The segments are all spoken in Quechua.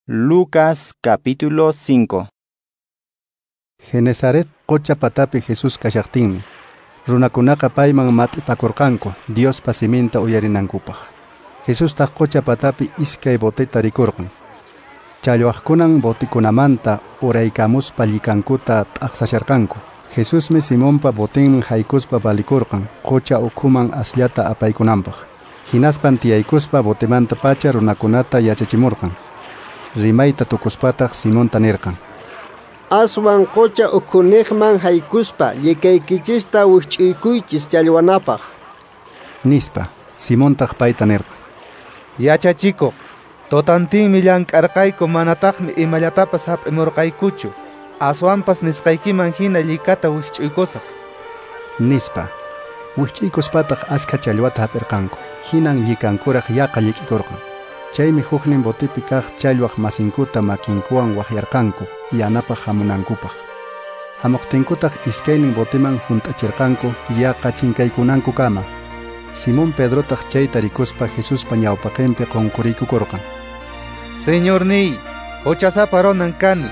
Lucas capítulo 5. Genesaret qocha patapi Jesús kashaqtinmi, runakunaqa payman mat'ipakurqanku Diospa siminta uyarinankupaq. Jesustaq qocha patapi iskay boteta rikurqan. Challwaqkunan botikunamanta uraykamuspa llikankuta t'aqsasharqanku. Jesusmi Simonpa botinman haykuspa valikurqan qocha ukhuman asllata apaykunanpaq. Hinaspan tiyaykuspa botemanta pacha runakunata yachachimurqan. Rimayta tukuspataq Simonta nirqan: Aswan qocha ukhuniqman haykuspa llikaykichista wikch'uykuychis challwanapaq. Nispa. Simontaq payta nirqan: Yachachikuq, totantinmi llank'arqayku, manataqmi imallatapas hap'imurqaykuchu. Aswanpas nisqaykiman hina llikata wikch'uykusaq. Nispa. Wikch'uykuspataq askha challwata hap'irqanku. Hinan llikankuraq yaqa llik'ikurqan. Chaymi huknin botipi kaq challwaq masinkuta makinkuwan waqyarqanku yanapaq hamunankupaq. Hamuqtinkutaq iskaynin botiman hunt'achirqanku yaqa chinkaykunankukama. Simón Pedrotaq chayta rikuspa Jesuspa ñawpaqinpi qunquriykukurqan. Señorniy, huchasapa runan kani,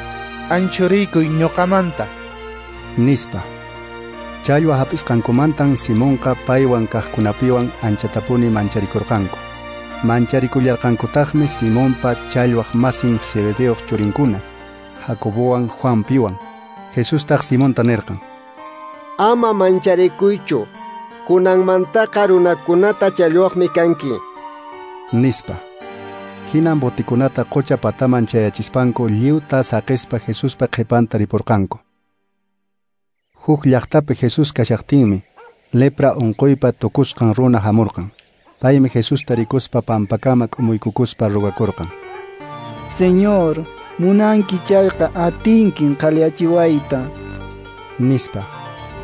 anchuriykuy ñuqamanta. Nispa. Challwa hap'isqankumantan Simonqa paywan kaqkunapiwan anchatapuni mancharikurqanku. Mancharikullharqankutaqmi Simonpa challwaq masin Zebedeoq churinkuna, Jacobowan Juanpiwan. Jesustaq Simonta nirqan: Ama mancharikuychu, kunanmantaqa runakunata challwaqmi kanki. Nispa. Hinan botikunata qocha pataman chayachispanku lliwta saqispa Jesuspa qhipanta ripurqanku. Huk llaqtapi Jesús kashaqtinmi lepra unquypa tukusqan runa hamurqan. Paymi Jesusta rikuspa pampakama k'umuykukuspa rugakurqan: Señor, munanki chayqa atinkin qhaliyachiwayta. Nispa.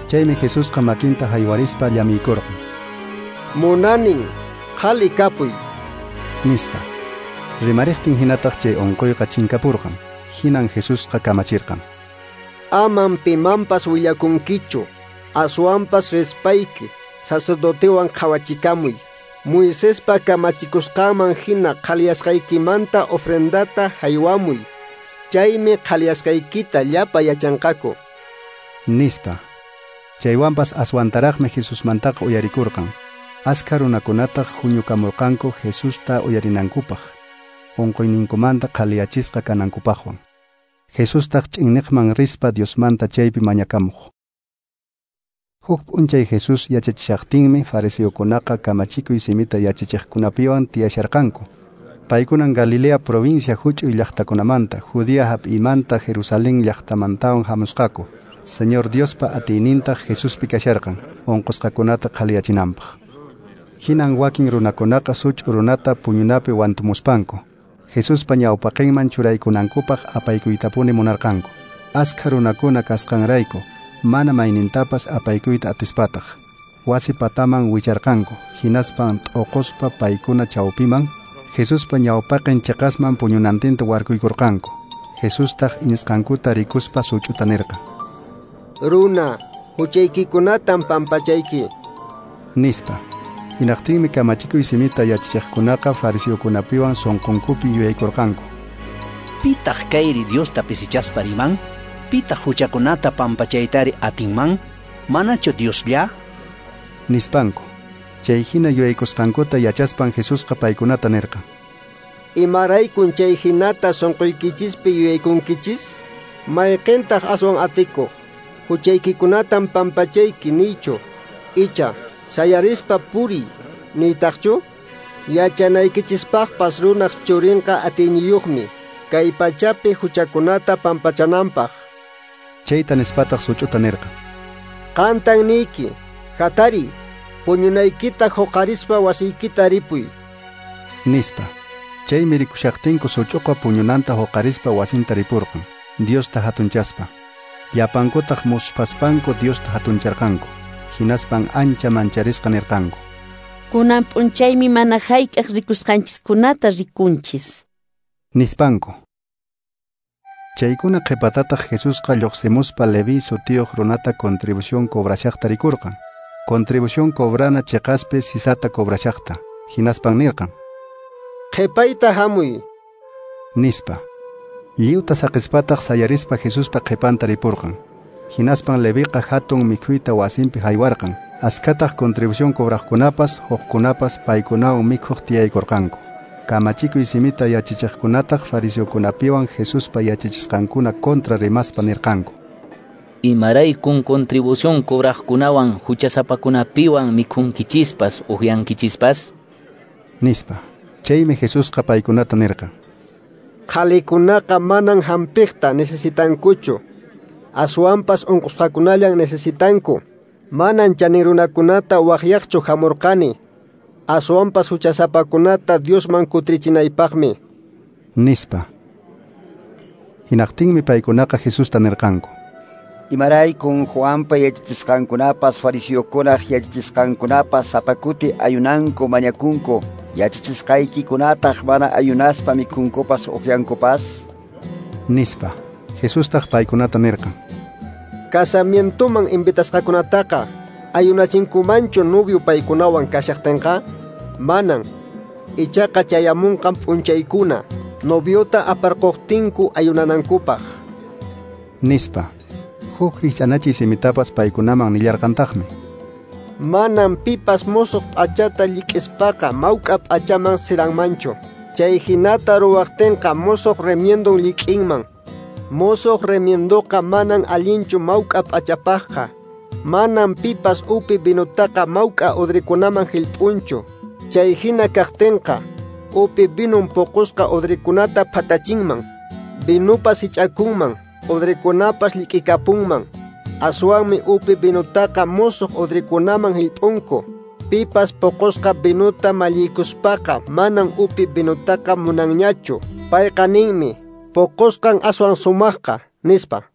Chaymi Jesusqa makinta haywarispa llamiykurqan: Munanin, qhali kapuy. Nispa. Rimariqtin hinataq chay unquyqa chinkapurqan. Hinan Jesusqa kamachirqan: Aman pimanpas willakunkichu, aswanpas rispayki sacerdotewan qhawachikamuy. Moisespa kamachikusqanman hina qhaliyasqaykimanta ofrendata haywamuy. Chaymi qhaliyasqaykita llapa yachanqaku. Nispa. Chaywanpas aswantaraqmi Jesusmantaqa uyarikurqan. Askha runakunataq huñukamurqanku Jesusta uyarinankupaq, unquyninkumanta qhaliyachisqa kanankupaqwan. Jesustaq ch'inniqman rispa Diosmanta chaypi mañakamuq. Huk p'unchay Jesús yachachishaqtinmi fariseokunaqa kamachikuy simita yachachiqkunapiwan tiyasharqanku. Paykunan Galilea provincia huch'uy llaqtakunamanta, Judea hap'imanta, Jerusalén llaqtamantawan hamusqaku. Señor Diospa atiynintaq Jesuspi kasharqan, unqusqakunata qhaliyachinanpaq. Hinan wakin runakunaqa such'u runata puñunapi wantumuspanku Jesuspa ñawpaqinman churaykunankupaq apaykuytapuni munarqanku. Askha runakuna kasqanrayku mana maynintapas apaykuyta atispataq wasi pataman wicharqanku. Hinaspan t'uquspa paykuna chawpiman Jesuspa ñawpaqin chiqasman puñunantinta warkuykurqanku. Jesustaq iñisqankuta rikuspa such'uta nirqan: Runa, huchaykikunatan pampachayki. Nispa. Hinaqtinmi kamachikuy simita yachachiqkunaqa fariseokunapiwan sunqunkupi yuyaykurqanku: Pitaq kayri Diosta pisichaspa riman? Pitaq huchakunata pampachaytari atinman? Manachu Dioslla? Nispanku. Chay hina yuyaykusqankuta yachaspan Jesusqa paykunata nirqan: Imaraykun chay hinata sunquykichispi yuyaykunkichis? Mayqintaq aswan atikuq? Huchaykikunatan pampachayki niychu, icha sayarispa puriy niytaqchu? Yachanaykichispaqpas runaq churinqa atiyniyuqmi kay pachapi huchakunata pampachananpaq. Chayta nispataq such'uta nirqan: Qantan niyki, hatariy, puñunaykita huqarispa wasiykita ripuy. Nispa. Chaymi rikushaqtinku such'uqa puñunanta huqarispa wasinta ripurqan, Diosta hatunchaspa. Llapankutaq musphaspanku Diosta hatuncharqanku. Hinaspan ancha mancharisqa nirqanku: Kunan p'unchaymi mana hayk'aq rikusqanchiskunata rikunchis. Nispanku. Chaykuna qhipatataq Jesusqa lluqsimuspa Leví sutiyuq runata contribución cobrashaqta rikurqan. Contribución cobrana chiqaspi sisata cobrashaqta. Hinaspan nirqan: Qhipayta hamuy. Nispa. Lliwta saqispataq sayarispa Jesuspa qhipanta ripurqan. Hinaspan Leviqa hatun mikhuyta wasinpi haywarqan. Askataq contribución cobraqkunapas, hukkunapas paykunawan mikhuq tiyaykurqanku. Kamachikuy simita yachachiqkunataq fariseokunapiwan Jesuspa yachachisqankuna kontra rimaspa nirqanku: Imaraykun contribución cobraqkunawan huchasapakunapiwan mikhunkichispas uqyankichispas? Nispa. Chaymi Jesusqa paykunata nirqan: Qhalikunaqa manan hampiqta necesitankuchu, aswanpas unqusqakunallan necesitanku. Manan chanin runakunata waqyaqchu hamurqani, aswanpas huchasapakunata Diosman kutrichinaypaqmi. Nispa. Hinaqtinmi paykunaqa Jesusta nirqanku: Imaraykun Juanpa yachachisqankunapas fariseokunaq yachachisqankunapas sapa kuti ayunanku mañakunku, yachachisqaykikunataq mana ayunaspa mikhunkupas uqyankupas? Nispa. Jesustaq paykunata nirqan: Casamientoman invitasqakunataqa ayunachinkumanchu novio paykunawan kashaqtinqa? Manan. Ichaqa chayamunqan p'unchaykuna noviota aparquqtinku ayunanankupaq. Nispa. Huk rikch'anachiy simitapas paykunaman nillarqantaqmi: Manan pipas musuq p'achata llik'ispaqa mawk'a p'achaman siranmanchu. Chay hinata ruwaqtinqa musuq remiendon llik'inman. Musuq remiendoqa manan allinchu mawk'a p'achapaqqa. Manan pipas upi vinutaqa mawk'a udrikunaman hillp'unchu. Chay hina kaqtinqa upi vinun puqusqa udrikunata phatachinman, vinupas hich'akunman, udrikunapas llik'ikapunman. Aswanmi upi vinutaqa musuq udrikunaman hillp'unku. Pipas puqusqa vinuta malliykuspaqa manan upi vinutaqa munanñachu. Payqa ninmi: puqusqan aswan sumaqqa, nispa.